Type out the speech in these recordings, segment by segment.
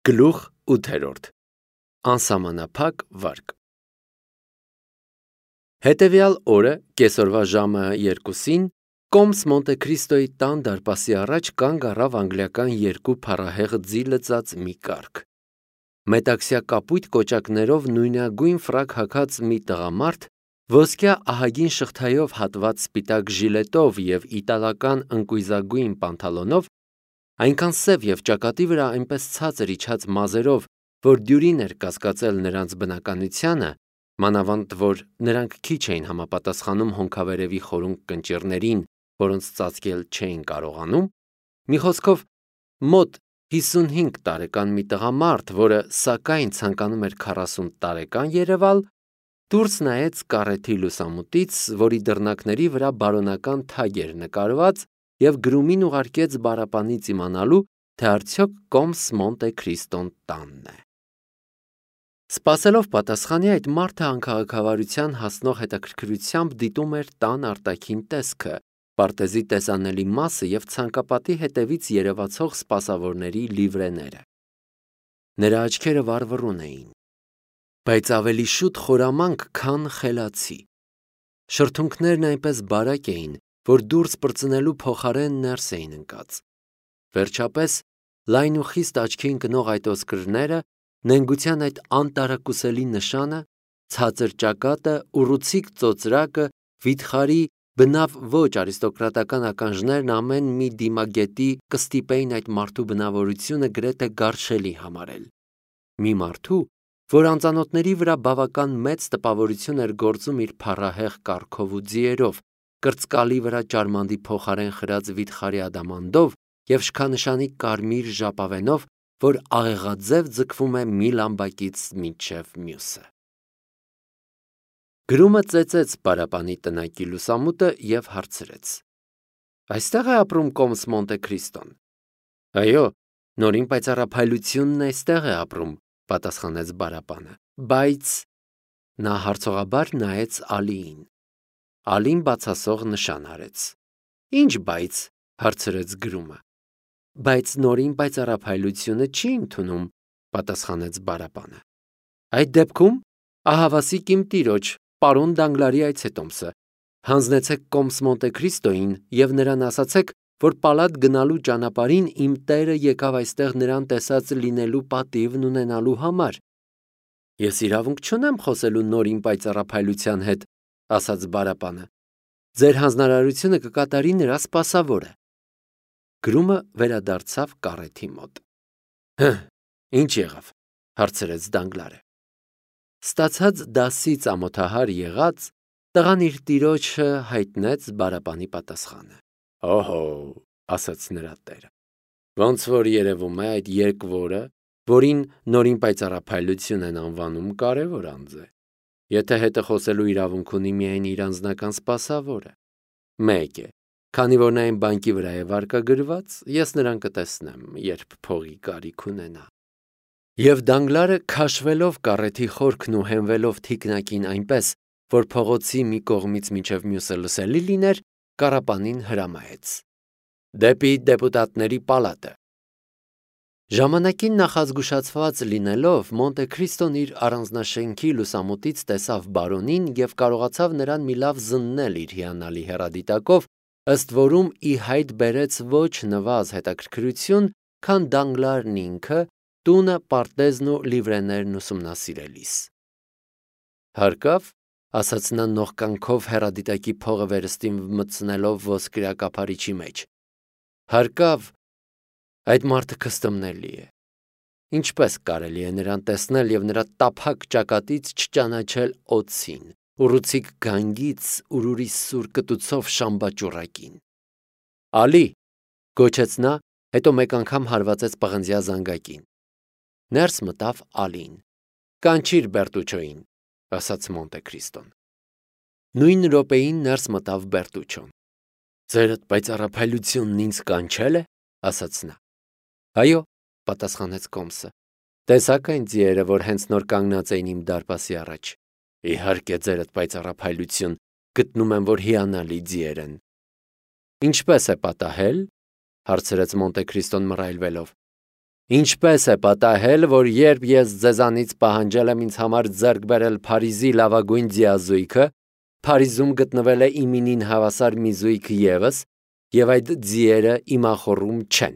Գլուխ 8 Անսահմանափակ վարկ Հետևյալ օրը կեսօրվա ժամը 2-ին Կոմս Մոնտե Քրիստոյի տան դարպասի առաջ կանգ առավ անգլիական երկու փառահեղ ձի լծած մի կառք։ Մետաքսյա կապույտ կոճակներով նույնագույն ֆրակ հագած մի տղամարդ, ոսկյա ահագին շղթայով հատված սպիտակ ժիլետով և իտալական ընկույզագույն պանթալոնով, այնքան սև և ճակատի վրա այնպես ցածր իջած մազերով, որ դյուրին էր կասկածել նրանց բնականությանը, մանավանդ որ նրանք քիչ էին համապատասխանում հոնքավերևի խորունկ կնճիռներին, որոնց ծածկել չէին կարողանում, մի խոսքով մոտ 55 տարեկան մի տղամարդ, որը սակայն ցանկանում էր 40 տարեկան երևալ, դուրս նայեց կառեթի լուսամուտից, որի դռնակների վրա բարոնական թագ էր նկարված, և գրումին ուղարկեց բառապանից իմանալու, թե արդյոք Կոմս Մոնտե Քրիստոն տանն է։ Սպասելով պատասխանի, այդ մարդը անքաղաքավարության հասնող հետաքրքրությամբ դիտում էր տան արտաքին տեսքը, պարտեզի տեսանելի մասը և ցանկապատի հետևից երևացող սպասավորների լիվրեները։ Նրա աչքերը վառվռուն էին, բայց ավելի շուտ խորամանկ, քան խելացի։ Շրթունքներն այնպես բարակ էին, որ դուրս պրծնելու փոխարեն ներս էին ընկած։ Վերջապես, լայն ու խիստ աչքի ընկնող այդ ոսկրները, նենգության այդ անտարակուսելի նշանը, ցածր ճակատը, ուռուցիկ ծոծրակը, վիթխարի, բնավ ոչ արիստոկրատական ականջներն ամեն մի դիմագետի կստիպեին այդ մարդու բնավորությունը գրեթե գարշելի համարել։ Մի մարդու, որ անծանոթների վրա բավական մեծ տպավորություն էր գործում իր փառահեղ կառքով ու ձիերով, կրծկալի վրա ճարմանդի փոխարեն խրած վիթխարի ադամանդով և շքանշանի կարմիր ժապավենով, որ աղեղաձև ձգվում է մի լամբակից մինչև մյուսը։ Գրումը ծեծեց պարապանի տնակի լուսամուտը և հարցրեց. «Այստեղ է ապրում Կոմս Մոնտե Քրիստոն»։ «Այո, նորին պայծառափայլությունն այստեղ է ապրում», պատասխանեց բառապանը, «բայց…» Նա հարցողաբար նայեց Ալիին։ Ալին բացասող նշան արեց։ «Ինչ բայց», հարցրեց գրումը։ «Բայց նորին պայծառափայլությունը չի ընդունում», պատասխանեց բառապանը։ «Այդ դեպքում ահավասիկ իմ տիրոջ, պարոն Դանգլարի այցետոմսը, հանձնեցեք Կոմս Մոնտե Քրիստոյին և նրան ասացեք, որ պալատ գնալու ճանապարհին իմ տերը եկավ այստեղ նրան տեսած լինելու պատիվն ունենալու համար»։ «Ես իրավունք չունեմ խոսելու նորին պայծառափայլության հետ», ասաց բառապանը։ «Ձեր հանձնարարությունը կկատարի նրա սպասավորը»։ Գրումը վերադարձավ կառեթի մոտ։ Ինչ եղավ, հարցրեց Դանգլարը։ Ստացած դասից ամոթահար եղած, տղան իր տիրոջը հայտնեց բառապանի պատասխանը։ «Օհո», ասաց նրա տերը, «ոնց որ երևում է այդ երկվորը, որին նորին պայծառափայլություն են անվանում, կարևոր անձ է։ Եթե հետը խոսելու իրավունք ունի միայն իր անձնական սպասավորը։ Մեկ է, քանի որ նա այն բանկի վրա է վարկագրված, ես նրան կտեսնեմ, երբ փողի կարիք ունենա»։ Եվ Դանգլարը, քաշվելով կառեթի խորքն ու հենվելով թիկնակին այնպես, որ փողոցի մի կողմից մինչև մյուսը լսելի լիներ, կառապանին հրամայեց. «Դեպի դեպուտատների պալատը»։ Ժամանակին նախազգուշացված լինելով, Մոնտե Քրիստոն իր առանձնաշենքի լուսամուտից տեսավ բարոնին և կարողացավ նրան մի լավ զննել իր հիանալի հեռադիտակով, ըստ որում ի հայտ բերեց ոչ նվազ հետաքրքրություն, քան Դանգլարն ինքը, տունը, պարտեզն ու լիվրեներն ուսումնասիրելիս։ «Հարկավ», ասաց նա նողկանքով հեռադիտակի փողը վերստին մտցնելով ոսկրյա կափարիչի մեջ, «հարկավ, այդ մարդը քստմնելի է։ Ինչպես կարելի է նրան տեսնել և նրա տափակ ճակատից չճանաչել օձին, ուռուցիկ գանգից ուրուրի սուր կտուցով շամբաճուռակին»։ «Ալի», գոչեց նա, հետո մեկ անգամ հարվածեց պղնձյա զանգակին։ Ներս մտավ Ալին։ «Կանչիր Բերտուչոյին», ասաց Մոնտե Քրիստոն։ Նույն րոպեին ներս մտավ Բերտուչոն։ «Ձերդ պայծառափայլությունն ինձ կանչել է», ասաց նա։ «Այո», պատասխանեց Կոմսը։ «Տեսա՞ք այն ձիերը, որ հենց նոր կանգնած էին իմ դարպասի առաջ»։ «Իհարկե, ձերդ պայծառափայլություն, գտնում եմ, որ հիանալի ձիեր են»։ «Ինչպես է պատահել», հարցրեց Մոնտե Քրիստոն մռայլվելով։ Ինչպես է պատահել, որ երբ ես ձեզանից պահանջել եմ ինձ համար ձեռք բերել Փարիզի լավագույն ձիազույգը, Փարիզում գտնվել է իմինին հավասար մի զույգ ևս, եւ այդ ձիերը իմախոռում չեն։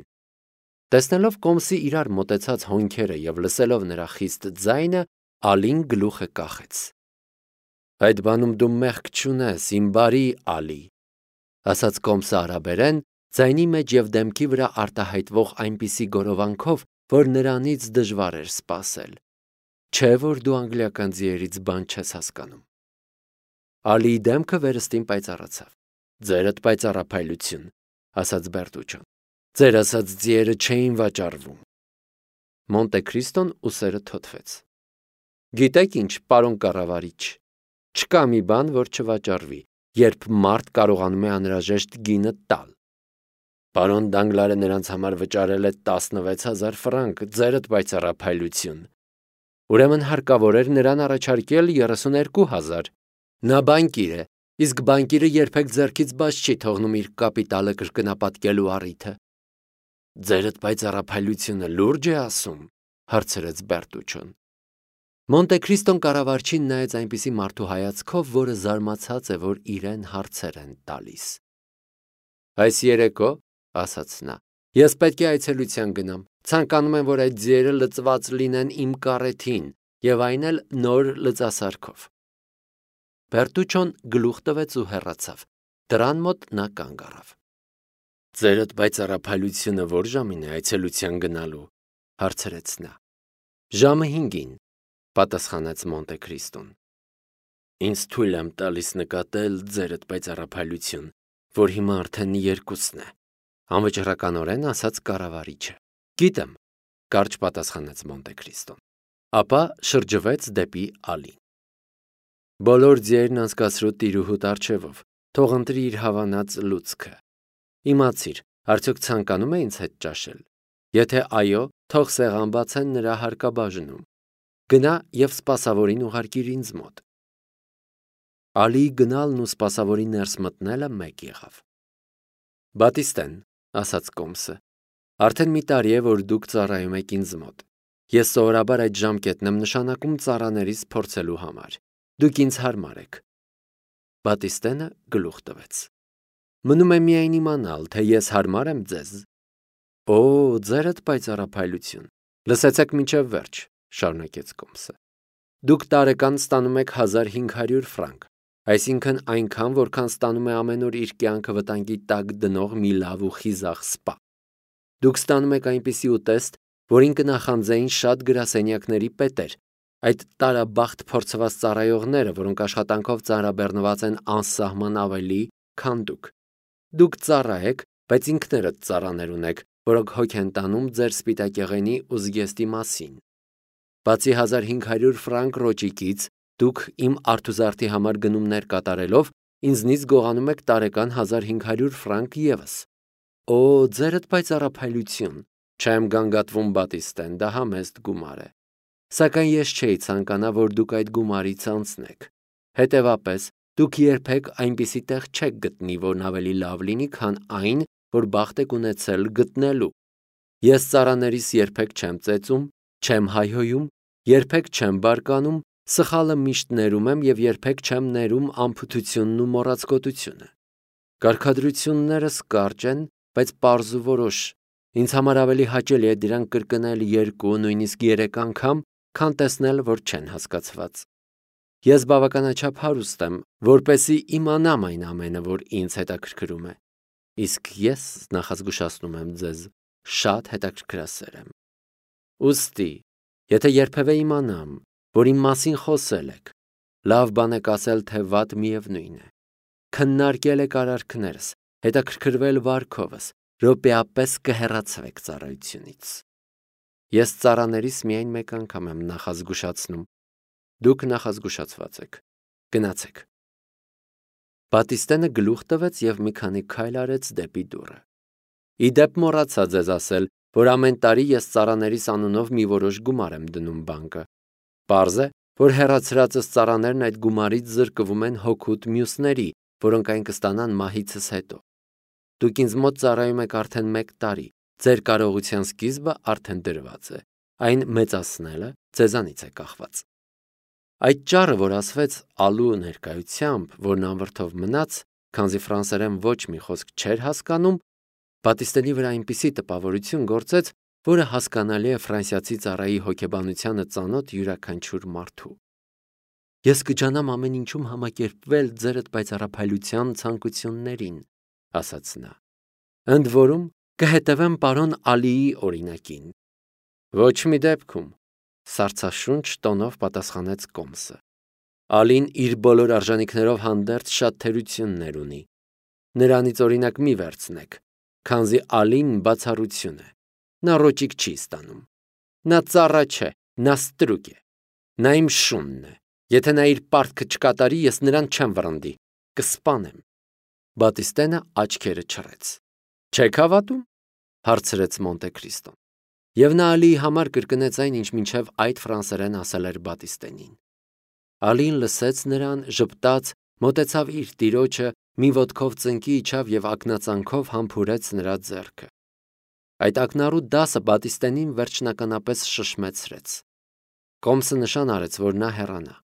Տեսնելով Կոմսի իրար մոտեցած հոնքերը եւ լսելով նրա խիստ ձայնը, Ալին գլուխը կախեց։ Այդ բանում դու մեղք չունես, իմ բարի Ալի, ասաց Կոմսը արաբերեն, ձայնի մեջ եւ դեմքի վրա արտահայտվող այնպիսի գորովանքով, որ նրանից դժվար էր սպասել։ Չէ՞ որ դու անգլիական ձիերից բան չես հասկանում։ Ալիի դեմքը վերստին պայծառացավ։ Ձերդ պայծառափայլություն, ասաց Բերտուչոն։ Ձեր ասած ձիերը չէին վաճառվում։ Մոնտե Քրիստոն ուսերը թոթվեց։ Գիտեք ինչ, պարոն կառավարիչ, չկա մի բան, որ չվաճառվի, երբ մարդ կարողանում է անհրաժեշտ գինը տալ։ Պարոն Դանգլարը նրանց համար վճարել է 16000 ֆրանկ, ձերդ պայծառափայլություն։ Ուրեմն հարկավոր էր նրան առաջարկել 32000։ Նա բանկիր է, իսկ բանկիրը երբեք ձեռքից բաց չի թողնում իր կապիտալը կրկնապատկելու առիթը։ Ձերդ պայծառափայլությունը լուրջ է ասում, հարցրեց Բերտուչոն։ Մոնտե Քրիստոն կառավարչին նայեց այնպիսի մարդու հայացքով, որը զարմացած է, որ իրեն հարցեր են տալիս։ Այս երեկո, ասաց նա, ես պետք է այցելության գնամ։ Ցանկանում եմ, որ այդ ձիերը լծված լինեն իմ կառեթին, եւ այն էլ նոր լծասարքով։ Բերտուչոն գլուխ տվեց ու հեռացավ։ Դրան մոտ նա կանգ առավ։ Ձերդ պայծառափայլությունը որ ժամին է այցելության գնալու, հարցրեց նա։ Ժամը 5-ին, պատասխանեց Մոնտե Քրիստոն։ Ինձ թույլ եմ տալիս նկատել ձերդ պայծառափայլություն, որ հիմա արդեն 2-ն է, անվճռականորեն ասաց կառավարիչը։ Գիտեմ, կարճ պատասխանեց Մոնտե Քրիստոն։ Ապա շրջվեց դեպի Ալին։ Բոլոր ձիերն անցկացրու տիրուհուտ առջևով, թող ընտրի իր հավանած լուցկը։ Իմացիր, արդյոք ցանկանում է ինձ հետ ճաշել։ Եթե այո, թող սեղան բացեն նրա հարկաբաժնում։ Գնա եւ սպասավորին ուղարկիր ինձ մոտ։ Ալիի գնալն ու սպասավորի ներս մտնելը մեկ եղավ։ Բատիստեն, ասաց Կոմսը, արդեն մի տարի է, որ դուք ծառայում եք ինձ մոտ։ Ես սովորաբար այդ ժամկետն եմ նշանակում ծառաներիս փորձելու համար։ Դուք ինձ հարմար եք։ Բատիստենը գլուխ տվեց։ Մնում է միայն իմանալ, թե ես հարմար եմ ձեզ։ Օ, ձերդ պայծառափայլություն։ Լսեցեք մինչև վերջ, շարունակեց Կոմսը։ Դուք տարեկան ստանում եք 1500 ֆրանկ, այսինքն այնքան, որքան ստանում է ամեն օր իր կյանքը վտանգի տակ դնող մի լավ ու խիզախ սպա։ Դուք ստանում եք այնպիսի ուտեստ, որին կնախանձեին շատ գրասենյակների պետեր, այդ տարաբախտ փորձված ծառայողները, որոնք աշխատանքով ծանրաբեռնված են անսահման ավելի, քան դուք։ Դուք ծառա եք, բայց ինքներդ ծառաներ ունեք, որոնք հոգ են տանում ձեր սպիտակեղենի ու զգեստի մասին։ Բացի 1500 ֆրանկ ռոճիկից, դուք իմ արթուզարդի համար գնումներ կատարելով, ինձնից գողանում եք տարեկան 1500 ֆրանկ ևս։ Օ, ձերդ պայծառափայլություն, չեմ գանգատվում Բատիստեն, դա համեստ գումար է։ Սակայն ես չէի ցանկանա, որ դուք այդ գումարից անցնեք։ Հետևաբար, դուք երբեք այնպիսի տեղ չեք գտնի, որն ավելի լավ լինի, քան այն, որ բախտ եք ունեցել գտնելու։ Ես ծառաներիս երբեք չեմ ծեծում, չեմ հայհոյում, երբեք չեմ բարկանում, սխալը միշտ ներում եմ եւ երբեք չեմ ներում անփութությունն ու մոռացկոտությունը։ Կարգադրություններս կարճ են, բայց պարզ ու որոշ։ Ինձ համար ավելի հաճելի է դրանք կրկնել 2, նույնիսկ 3 անգամ, քան տեսնել, որ չեն հասկացված։ Ես բավականաչափ հարուստ եմ, որպեսզի իմանամ այն ամենը, որ ինձ հետաքրքրում է։ Իսկ ես նախազգուշացնում եմ ձեզ, շատ հետաքրքրասեր եմ։ Ուստի, եթե երբևէ իմանամ, որ իմ մասին խոսել եք, լավ բան եք ասել, թե վատ միևնույն է։ Քննարկել եք արարքներս, հետաքրքրվել վարքովս, րոպեապես կհեռացվեք ծառայությունից։ Ես ծառաներիս միայն մեկ անգամ եմ նախազգուշացնում։ Դուք նախազգուշացված եք։ Գնացեք։ Բատիստենը գլուխ տվեց եւ մի քանի քայլ արեց դեպի դուռը։ Իդեպ մոռացա ձեզ ասել, որ ամեն տարի ես ծառաներիս անունով մի որոշ գումար եմ դնում բանկը։ Պարզ է, որ հեռացրածս ծառաներն այդ գումարից զրկվում են հոգուտ մյուսների, որոնք այն կստանան մահիցս հետո։ Դուք ինձ մոտ ծառայում եք արդեն 1 տարի, Ձեր կարողության սկիզբը արդեն դրված է, այն մեծացնելը ձեզանից է կախված։ Այդ ճառը, որ ասվեց ալու ներկայությամբ, որն անվրդով մնաց, քանզի ֆրանսերեն ոչ մի խոսք չէր հասկանում, Բատիստենի վրա այնպիսի տպավորություն գործեց, որը հասկանալի է ֆրանսիացի ծառայի հոգեբանությանը ծանոթ յուրաքանչյուր մարդու։ Ես կջանամ ամեն ինչում համակերպվել ձերդ պայծառափայլության ցանկություններին, ասաց նա։ Ընդ որում կհետևեմ պարոն Ալիի օրինակին։ Ոչ մի դեպքում, սառցաշունչ տոնով պատասխանեց Կոմսը։ Ալին իր բոլոր արժանինքներով հանդերձ շատ թերություններ ունի։ Նրանից օրինակ մի վերցնեք, քանզի Ալին բացառություն է։ Նա ռոճիկ չի ստանում։ Նա ծառա չէ, նա ստրուկ է։ Նա իմ շունն է։ Եթե նա իր պարտքը չկատարի, ես նրան չեմ վռնդի, կսպանեմ։ Բատիստենը աչքերը չռեց։ Չեք հավատում, հարցրեց Մոնտե Քրիստոն։ Եվ նա Ալիի համար կրկնեց այն, ինչ մինչև այդ ֆրանսերեն ասել էր Բատիստենին։ Ալին լսեց նրան, ժպտաց, մոտեցավ իր տիրոջը, մի ոտքով ծնկի իջավ եւ ակնածանքով համբուրեց նրա ձեռքը։ Այդ ակնառու դասը Բատիստենին վերջնականապես շշմեցրեց։ Կոմսը նշան արեց, որ նա հեռանա։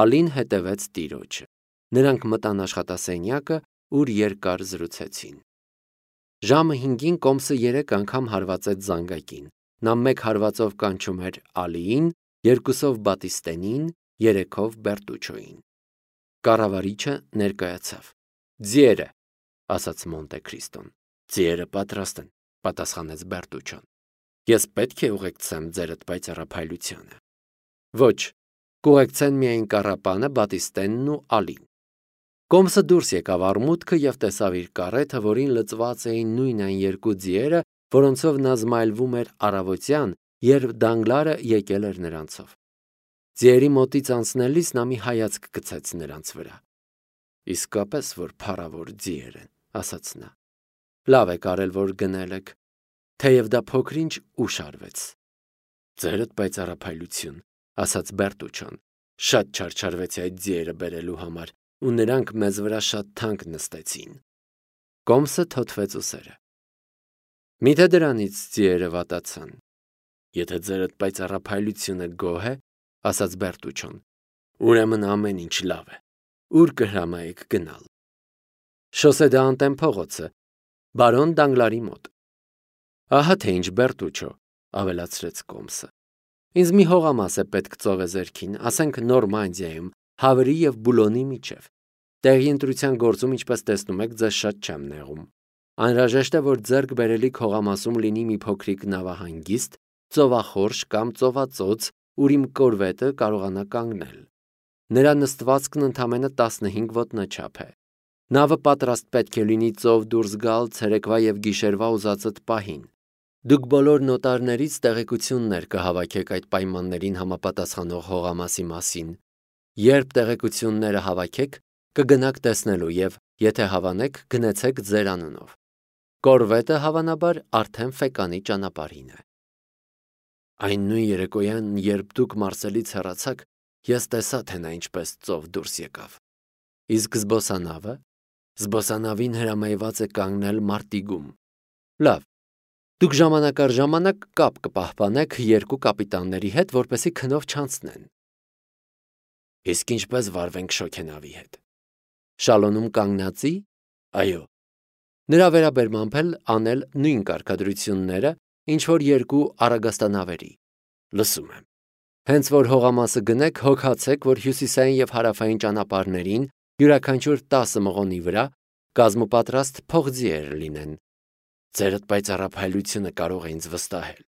Ալին հետևեց տիրոջը։ Նրանք մտան աշխատասենյակը, ուր երկար զրուցեցին։ Ժամը 5-ին Կոմսը 3 անգամ հարվածեց զանգակին։ Նա 1 հարվածով կանչում էր Ալիին, 2-ով Բատիստենին, 3-ով Բերտուչոին։ Կառավարիչը ներկայացավ։ Ձիերը, ասաց Մոնտե Քրիստոն։ Ձիերը պատրաստ են, պատասխանեց Բերտուչոն։ Ես պետք է ուղեկցեմ ձերդ պայծառափայլությանը։ Ոչ, կուղեկցեն միայն կառապանը, Բատիստենն ու Ալին։ Կոմսը դուրս եկավ արմուտքը եւ տեսավ իր կարեթը, որին լծված էին նույն այն 2 ձիերը, որոնցով նա զմայլվում էր առավոտյան, երբ Դանգլարը եկել էր նրանցով։ Ձիերի մոտից անցնելիս նա մի հայացք գցեց նրանց վրա։ Իսկապես որ փառավոր ձիեր են, ասաց նա։ Լավ եք արել, որ գնել եք, թեև դա փոքրինչ ուշ արվեց։ Ձերդ պայծառափայլություն, ասաց Բերտուչոն։ Շատ չարչարվեցի այդ ձիերը բերելու համար, ու նրանք մեզ վրա շատ թանկ նստեցին։ Կոմսը թոթվեց ուսերը։ Միթե դրանից ձիերը վատացան։ Եթե ձերդ պայծառափայլությունը գոհ է, ասաց Բերտուչոն, ուրեմն ամեն ինչ լավ է։ Ուր կհրամայեք գնալ։ Շոսե դե Անտեն փողոցը, բարոն Դանգլարի մոտ։ Ահա թե ինչ Բերտուչո, ավելացրեց Կոմսը։ Ինձ մի հողամաս է պետք ծովեզերքին, ասենք Նորմանդիայում, Հավրի եւ Բուլոնի միջև։ Տեղի ընտրության գործում, ինչպես տեսնում եք, ձեզ շատ չեմ նեղում։ Անհրաժեշտ է, որ ձեռք բերելիք հողամասում լինի մի փոքրիկ նավահանգիստ, ծովախորշ կամ ծովածոց, ուր իմ կորվետը կարողանա կանգնել։ Նրա նստվածքն ընդամենը 15 ոտնաչափ է։ Նավը պատրաստ պետք է լինի ծով դուրս գալ ցերեկվա եւ գիշերվա ուզածդ պահին։ Դուք բոլոր նոտարներից տեղեկություններ կհավաքեք այդ պայմաններին համապատասխանող հողամասի մասին։ Երբ տեղեկությունները հավաքեք, կգնաք տեսնելու եւ, եթե հավանեք, գնացեք ձեր անունով։ Կորվետը հավանաբար արդեն Ֆեկանի ճանապարհին է։ Այն նույն երեկոյան, երբ դուք Մարսելից հեռացաք, ես տեսա, թե նա ինչպես ծով դուրս եկավ։ Իսկ զբոսանավը։ Զբոսանավին հրամայված է կանգնել Մարտիգում։ Լավ։ Դուք ժամանակ առ ժամանակ կապ կպահպանեք 2 կապիտանների հետ, որպեսզի քնով չանցնեն։ Իսկ ինչպես վարվենք շոգենավի հետ։ Շալոնում կանգնածի։ Այո։ Նրա վերաբերմամբ էլ անել նույն կարգադրությունները, ինչ որ 2 արագաստանավերի։ Լսում եմ։ Հենց որ հողամասը գնեք, հոգացեք, որ հյուսիսային եւ հարավային ճանապարհներին յուրաքանչյուր 10 մղոնի վրա կազմապատրաստ փողձիեր լինեն։ Ձերդ պայծառափայլությունը կարող է ինձ վստահել։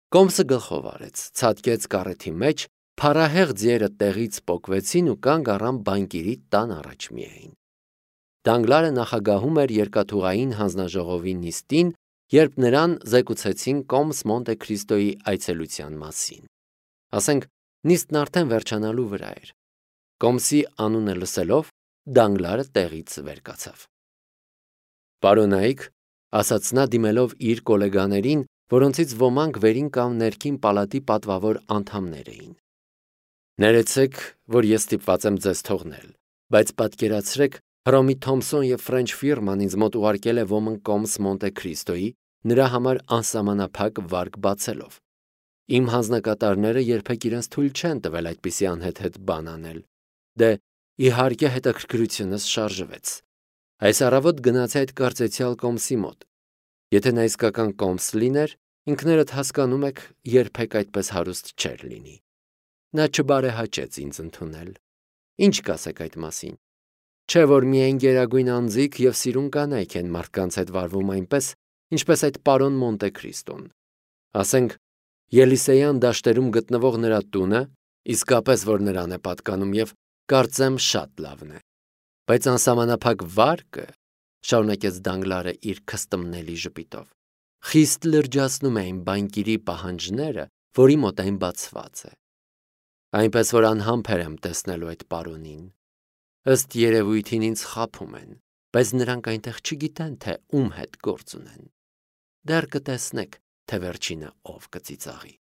Կոմսը գլխով արեց, ցատկեց կարեթի մեջ, փարահեղ ձիերը տեղից պոկվեցին ու կանգ առան բանկիրի տան առաջ միայն։ Դանգլարը նախագահում էր երկաթուղային հանձնաժողովի նիստին, երբ նրան զեկուցեցին Կոմս Մոնտե Քրիստոյի այցելության մասին։ Ասենք, նիստն արդեն վերջանալու վրա էր։ Կոմսի անունը լսելով, Դանգլարը տեղից վեր կացավ։ Պարոնայք, ասաց նա դիմելով իր գոլեգաներին, որոնցից ոմանք վերին կամ ներքին պալատի պատվավոր անդամներ էին։ Ներեցեք, որ ես ստիպված եմ ձեզ թողնել, բայց պատկերացրեք, Հռոմի Թոմսոն եւ Ֆրենչ ֆիրման ինձ մոտ ուղարկել է ոմն Կոմս Մոնտե Քրիստոյի, նրա համար անսահմանափակ վարկ բացելով։ Իմ հանձնակատարները երբեք իրենց թույլ չեն տվել այդպիսի անհեթեթ բան անել։ Դե, իհարկե հետաքրքրությունս շարժվեց։ Այս առավոտ գնացի այդ կարծեցյալ կոմսի մոտ։ Եթե նա իսկական կոմս լիներ, ինքներդ հասկանում եք, երբեք այդպես հարուստ չէր լինի։ Նա չբարեհաճեց ինձ ընդունել։ Ինչ կասեք այդ մասին։ Չէ՞ որ միայն գերագույն անձիկ եւ սիրուն կանայք են մարդկանց հետ վարվում այնպես, ինչպես այդ պարոն Մոնտե Քրիստոն։ Ասենք, Ելիսեյան դաշտերում գտնվող նրա տունը իսկապես որ նրան է պատկանում եւ կարծեմ շատ լավն է։ Բայց անսահմանափակ վարկը, շարունակեց Դանգլարը իր քստմնելի ժպիտով, խիստ լրջացնում է այն բանկիրի պահանջները, որի մոտ այն բացված է։ Այնպես որ անհամբեր եմ տեսնելու այդ պարոնին։ Ըստ երևույթին ինձ խաբում են, բայց նրանք այնտեղ չգիտեն, թե ում հետ գործ ունեն։ Դեռ կտեսնեք, թե վերջինը ով կծիծաղի։